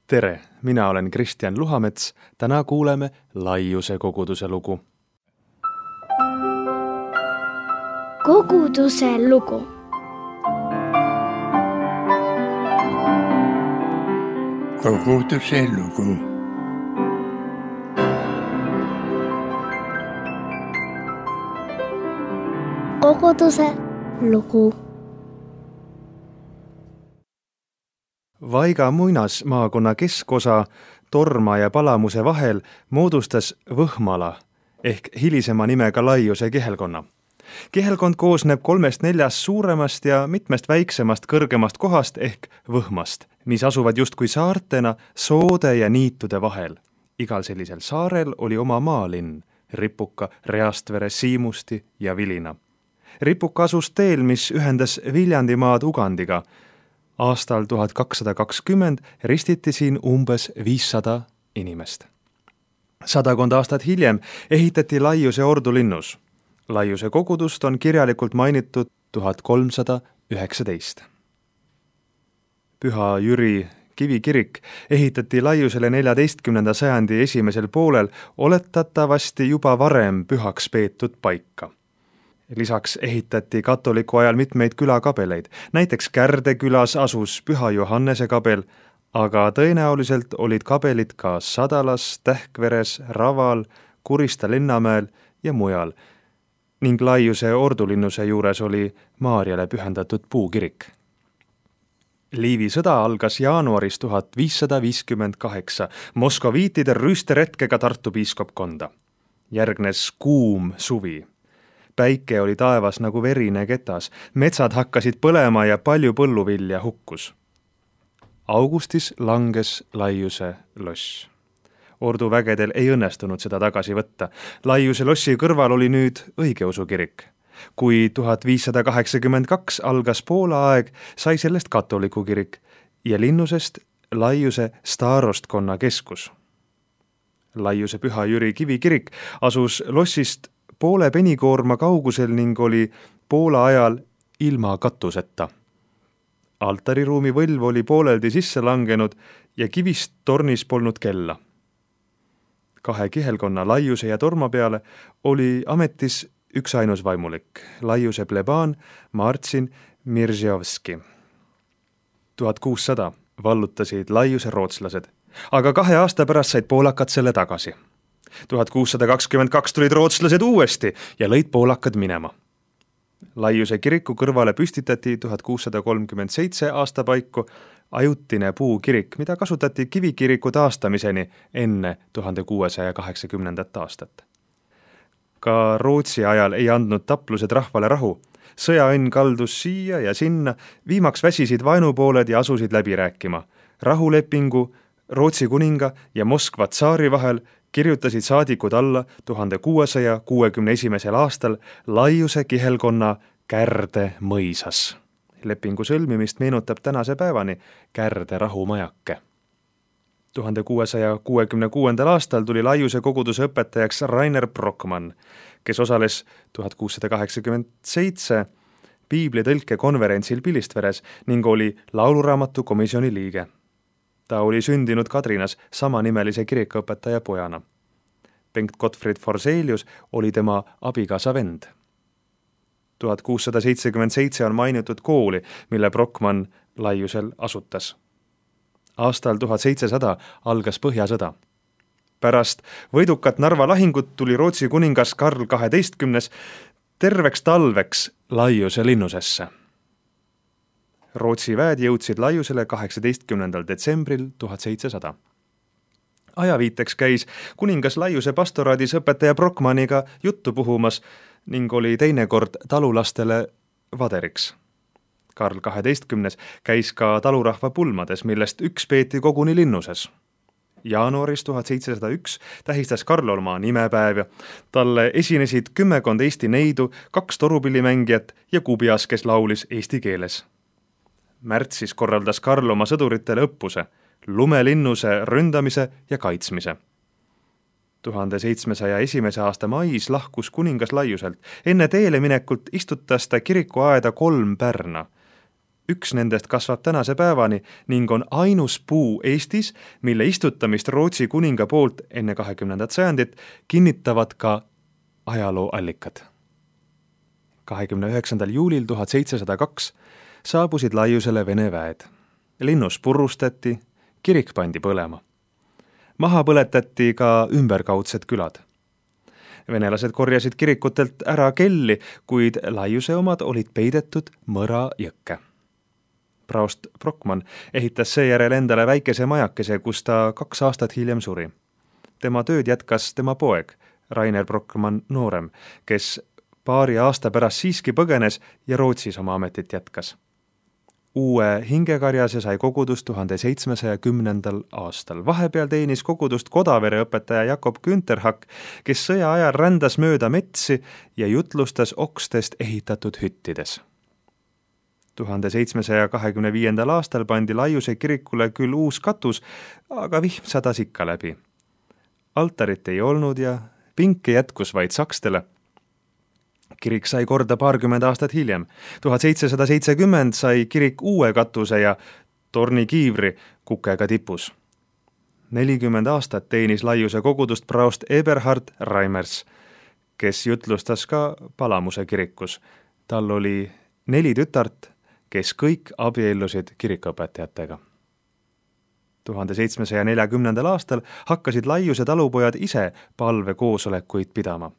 Tere, mina olen Kristjan Luhamets. Täna kuuleme Laiuse koguduse lugu. Koguduse lugu. Koguduse lugu. Koguduse lugu. Vaiga muinasmaakonna keskosa Torma ja Palamuse vahel moodustas Võhmala ehk hilisema nimega Laiuse kihelkonna. Kihelkond koosneb 3-4 suuremast ja mitmest väiksemast kõrgemast kohast ehk võhmast, mis asuvad justkui saartena soode ja niitude vahel. Igal sellisel saarel oli oma maalinn, Ripuka, Reastvere, Siimusti ja Vilina. Ripuka asus teel, mis ühendas Viljandimaad Ugandiga. Aastal 1220 ristiti siin umbes 500 inimest. 100 aastat hiljem ehitati Laiuse ordulinnus. Laiuse kogudust on kirjalikult mainitud 1319. Püha Jüri kivikirik ehitati Laiusele 14. sajandi esimesel poolel oletatavasti juba varem pühaks peetud paika. Lisaks ehitati katoliku ajal mitmeid külakabeleid. Näiteks Kärde külas asus Püha Johannese kabel, aga tõenäoliselt olid kabelid ka Sadalas, Tähkveres, Raval, Kurista linnamäel ja mujal. Ning Laiuse ordulinnuse juures oli Maarjale pühendatud puukirik. Liivi sõda algas jaanuaris 1558 moskoviitide rüüsteretkega Tartu piiskopkonda. Järgnes kuum suvi. Päike oli taevas nagu verine ketas, metsad hakkasid põlema ja palju põlluvilja hukkus. Augustis langes Laiuse loss. Orduvägedel ei õnnestunud seda tagasi võtta. Laiuse lossi kõrval oli nüüd õigeusu kirik. Kui 1582 algas Poola aeg, sai sellest katoliku kirik ja linnusest Laiuse staarostkonna keskus. Laiuse Püha Jüri kivikirik asus lossist poole penikoorma kaugusel ning oli Poola ajal ilma katuseta. Altariruumi võlv oli pooleldi sisse langenud ja kivist tornis polnud kella. 2 kihelkonna Laiuse ja Torma peale oli ametis üksainus vaimulik, Laiuse plebaan Marcin Mirzjovski. 1600 vallutasid Laiuse rootslased, aga 2 aasta pärast said poolakad selle tagasi. 1622 tulid rootslased uuesti ja lõid poolakad minema. Laiuse kiriku kõrvale püstitati 1637 aasta paiku ajutine puukirik, mida kasutati kivikiriku taastamiseni enne 1680. aastat. Ka Rootsi ajal ei andnud taplused rahvale rahu. Sõjaõnn kaldus siia ja sinna, viimaks väsisid vaenupooled ja asusid läbi rääkima. Rahulepingu Rootsi kuninga ja Moskva tsaari vahel kirjutasid saadikud alla 1661. aastal Laiuse kihelkonna Kärde mõisas. Lepingu sõlmimist meenutab tänase päevani Kärde rahumajake. 1666. aastal tuli Laiuse koguduse õpetajaks Rainer Brockmann, kes osales 1687 piiblitõlke konverentsil Pilistveres ning oli lauluraamatu komisjoni liige. Ta oli sündinud Kadrinas samanimelise kirikuõpetaja pojana. Bengt Gottfried Forselius oli tema abikaasa vend. 1677 on mainitud kooli, mille Brockmann Laiusel asutas. Aastal 1700 algas Põhjasõda. Pärast võidukat Narva lahingut tuli Rootsi kuningas Karl XII terveks talveks Laiuse linnusesse. Rootsi väed jõudsid Laiusele 18. detsembril 1700. Ajaviiteks käis kuningas Laiuse pastoraadis õpetaja Brockmanniga juttu puhumas ning oli teinekord talulastele vaderiks. Karl XII käis ka talurahva pulmades, millest üks peeti koguni linnuses. Jaanuaris 1701 tähistas Karl oma nimepäev ja talle esinesid 10 Eesti neidu, 2 torupillimängijat ja kubias, kes laulis eesti keeles. Märtsis korraldas Karl oma sõduritele õppuse, lumelinnuse ründamise ja kaitsmise. 1701. aasta mais lahkus kuningas Laiuselt. Enne teele minekut istutas ta kirikuaeda 3 pärna. Üks nendest kasvab tänase päevani ning on ainus puu Eestis, mille istutamist Rootsi kuninga poolt enne 20. sajandit kinnitavad ka ajalooallikad. 29. juulil 1702 saabusid Laiusele Vene väed. Linnus purustati, kirik pandi põlema. Maha põletati ka ümberkaudsed külad. Venelased korjasid kirikutelt ära kelli, kuid Laiuse omad olid peidetud Mõra jõkke. Praost Brockmann ehitas seejärel endale väikese majakese, kus ta 2 aastat hiljem suri. Tema tööd jätkas tema poeg, Rainer Brockmann noorem, kes paari aasta pärast siiski põgenes ja Rootsis oma ametit jätkas. Uue hingekarjase sai kogudust 1710. aastal. Vahepeal teenis kogudust Kodavere õpetaja Jakob Günterhak, kes sõja ajal rändas mööda metsi ja jutlustas okstest ehitatud hüttides. 1725. aastal pandi Laiuse kirikule küll uus katus, aga vihm sadas ikka läbi. Altarit ei olnud ja pinke jätkus vaid sakstele. Kirik sai korda 20 aastat hiljem. 1770 sai kirik uue katuse ja tornikiivri kukega tipus. 40 aastat teenis Laiuse kogudust praost Eberhard Reimers, kes jutlustas ka Palamuse kirikus. Tal oli 4 tütart, kes kõik abiellusid kirikuõpetajatega. 1740. aastal hakkasid Laiuse talupojad ise palvekoosolekuid pidama.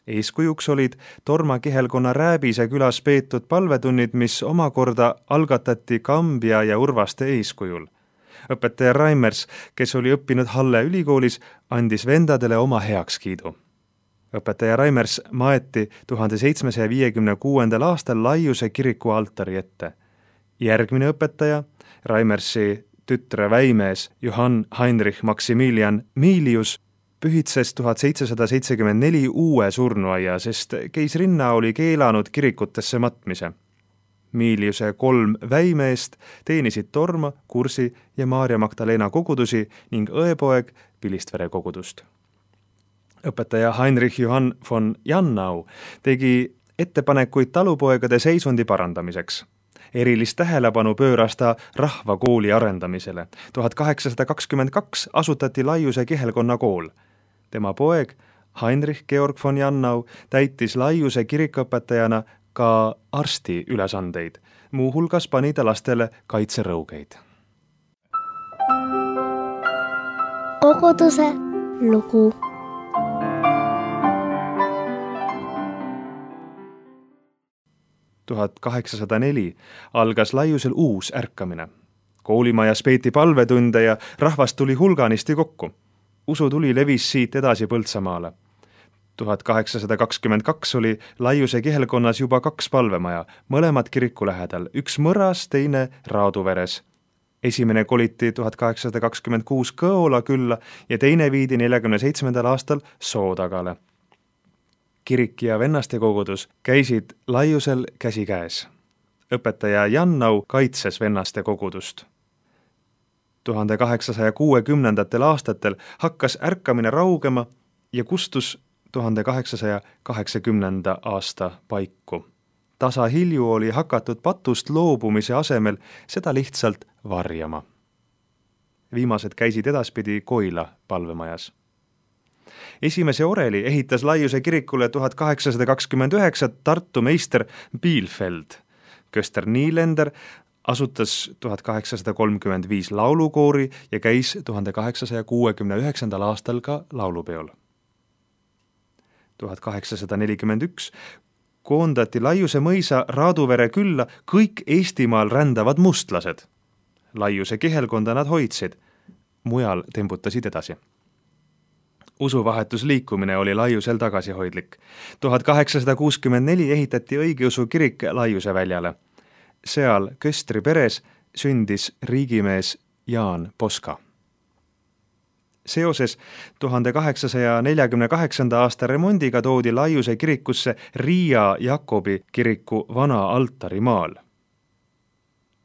Eeskujuks olid Torma kihelkonna Rääbise külas peetud palvetunnid, mis omakorda algatati Kambja ja Urvaste eeskujul. Õpetaja Reimers, kes oli õppinud Halle ülikoolis, andis vendadele oma heakskiidu. Õpetaja Reimers maeti 1756. aastal Laiuse kiriku altari ette. Järgmine õpetaja, Reimersi tütre väimees Johann Heinrich Maximilian Milius, pühitses 1774 uue surnuaia, sest keisrinna oli keelanud kirikutesse matmise. Miliuse 3 väimeest teenisid Torma, Kursi ja Maarja Magdalena kogudusi ning õepoeg Pilistvere kogudust. Õpetaja Heinrich Johann von Jannau tegi ettepanekuid talupoegade seisundi parandamiseks. Erilist tähelepanu pööras ta rahvakooli arendamisele. 1822 asutati Laiuse kihelkonna kool. Tema poeg Heinrich Georg von Jannau täitis Laiuse kirikuõpetajana ka arsti ülesandeid. Muuhulgas pani ta lastele kaitserõugeid. Koguduse lugu. Tuhat 1804 algas Laiusel uus ärkamine. Koolimajas peeti palvetunde ja rahvast tuli hulganisti kokku. Usutuli levis siit edasi Põltsamaale. 1822 oli Laiuse kihelkonnas juba 2 palvemaja, mõlemad kiriku lähedal, üks Mõras, teine Raaduveres. Esimene koliti 1826 Kõola külla ja teine viidi 47. aastal Soodagale. Kirik ja vennaste kogudus käisid Laiusel käsikäes. Õpetaja Jannau kaitses vennaste kogudust. 1860. aastatel hakkas ärkamine raugema ja kustus 1880. aasta paiku. Tasa hilju oli hakatud patust loobumise asemel seda lihtsalt varjama. Viimased käisid edaspidi Koila palvemajas. Esimese oreli ehitas Laiuse kirikule 1829 Tartu meister Bielfeld. Köster Nielender asutas 1835 laulukoori ja käis 1869. aastal ka laulupeol. 1841 koondati Laiuse mõisa Raaduvere külla kõik Eestimaal rändavad mustlased. Laiuse kihelkonda nad hoidsid, mujal tembutasid edasi. Usuvahetusliikumine oli Laiusel tagasihoidlik. 1864 ehitati õigeusu kirik Laiuse väljale. Seal Köstri peres sündis riigimees Jaan Poska. Seoses 1848. aasta remondiga toodi Laiuse kirikusse Riia Jakobi kiriku vana altarimaal.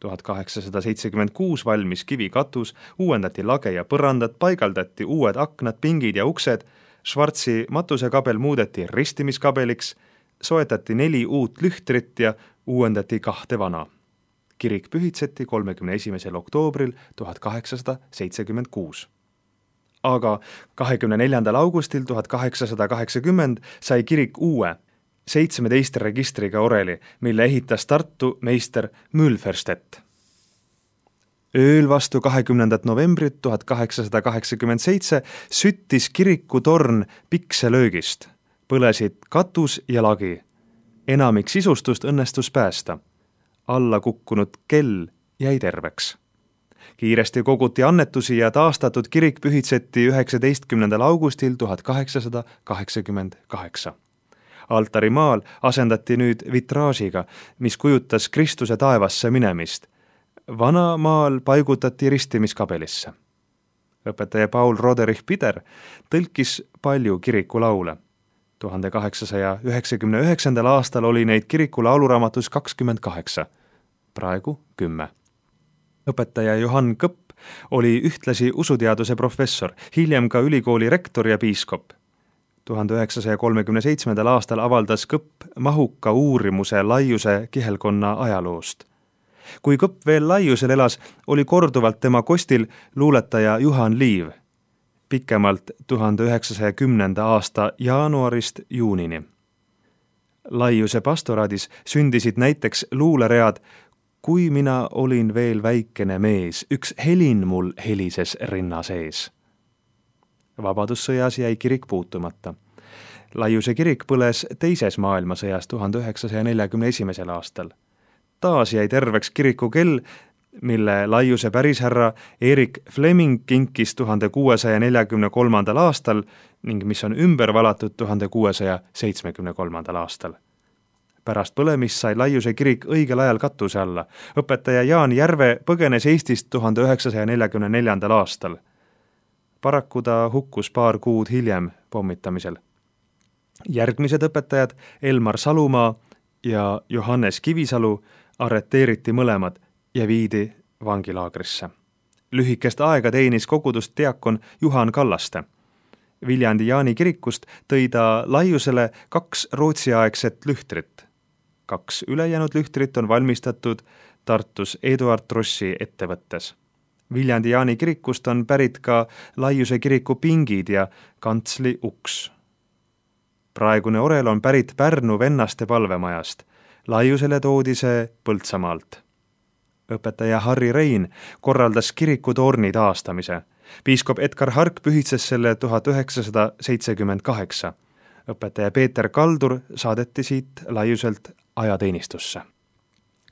1876 valmis kivikatus, uuendati lage ja põrandad, paigaldati uued aknad, pingid ja uksed, Schwarzi matusekabel muudeti ristimiskabeliks, soetati 4 uut lühtrit ja uuendati 2 vana. Kirik pühitseti 31. oktoobril 1876. Aga 24. augustil 1880 sai kirik uue 17 registriga oreli, mille ehitas Tartu meister Mülferstedt. Ööl vastu 20. novembrit 1887 süttis kiriku torn pikselöögist. Põlesid katus ja lagi. Enamik sisustust õnnestus päästa. Alla kukkunud kell jäi terveks. Kiiresti koguti annetusi ja taastatud kirik pühitseti 19. augustil 1888. Altarimaal asendati nüüd vitraažiga, mis kujutas Kristuse taevasse minemist. Vana maal paigutati ristimiskabelisse. Õpetaja Paul Roderich Pider tõlkis palju kirikulaule. 1899. aastal oli neid kiriku lauluraamatus 28, praegu 10. Õpetaja Johann Kõpp oli ühtlasi usuteaduse professor, hiljem ka ülikooli rektor ja piiskop. 1937. aastal avaldas Kõpp mahuka uurimuse Laiuse kihelkonna ajaloost. Kui Kõpp veel Laiusel elas, oli korduvalt tema kostil luuletaja Juhan Liiv, pikemalt 1910. aasta jaanuarist juunini. Laiuse pastoraadis sündisid näiteks luuleread Kui mina olin veel väikene mees, üks helin mul helises rinna sees. Vabadussõjas jäi kirik puutumata. Laiuse kirik põles teises maailmasõjas 1941. aastal. Taas jäi terveks kiriku kell, mille Laiuse pärishärra Erik Fleming kinkis 1643. aastal ning mis on ümber valatud 1673. aastal. Pärast põlemist sai Laiuse kirik õigel ajal katuse alla. Õpetaja Jaan Järve põgenes Eestist 1944. aastal. Paraku ta hukkus paar kuud hiljem pommitamisel. Järgmised õpetajad, Elmar Salumaa ja Johannes Kivisalu, arreteeriti mõlemad ja viidi vangilaagrisse. Lühikest aega teenis kogudust diakon Juhan Kallaste. Viljandi Jaani kirikust tõi ta Laiusele 2 rootsiaegset lühtrit. 2 ülejäänud lühtrit on valmistatud Tartus Eduard Trossi ettevõttes. Viljandi Jaani kirikust on pärit ka Laiuse kiriku pingid ja kantsli uks. Praegune orel on pärit Pärnu Vennaste palvemajast. Laiusele toodi see Põltsamaalt. Õpetaja Harri Rein korraldas kiriku torni taastamise. Piiskop Edgar Hark pühitses selle 1978. Õpetaja Peeter Kaldur saadeti siit Laiuselt ajateenistusse.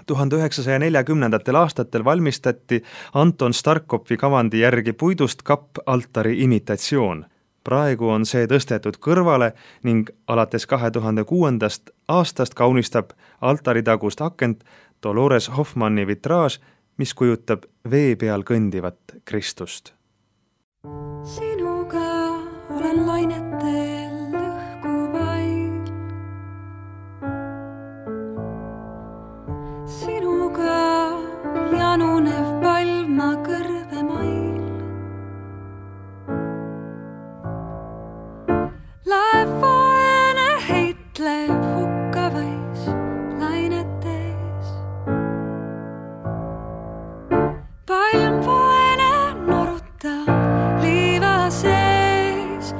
1940. aastatel valmistati Anton Starkovi kavandi järgi puidust kapp-altari imitatsioon. Praegu on see tõstetud kõrvale ning alates 2006. aastast kaunistab altaritagust akent Dolores Hoffmanni vitraaž, mis kujutab vee peal kõndivat Kristust. Sinuga olen lainetel õhkuvail. Sinuga janunev palma kõrvemail. Laev vaene heitleb hukkavais lainetes. Palm vaene norutab liiva sees.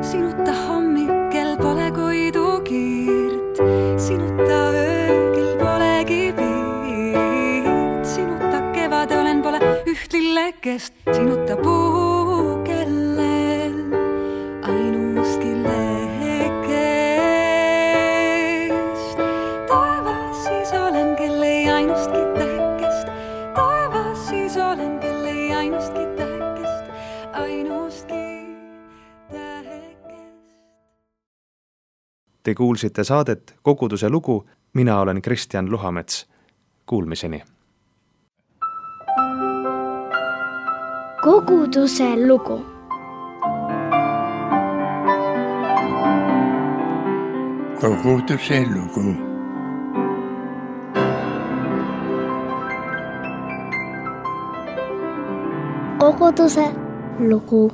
Sinuta hommikel pole koidu kiirt, sinuta öögil polegi piirt, sinuta kevade olen pole üht lillekest, sinuta puu kellel ainustki lehekest. Taevas siis olen, kel ei ainustki tähekest, taevas siis olen, kel ei ainustki tähekest, ainustki tähekest. Te kuulsite saadet Koguduse lugu, mina olen Kristjan Luhamets. Kuulmiseni! Koguduse lugu. Koguduse lugu. Koguduse lugu.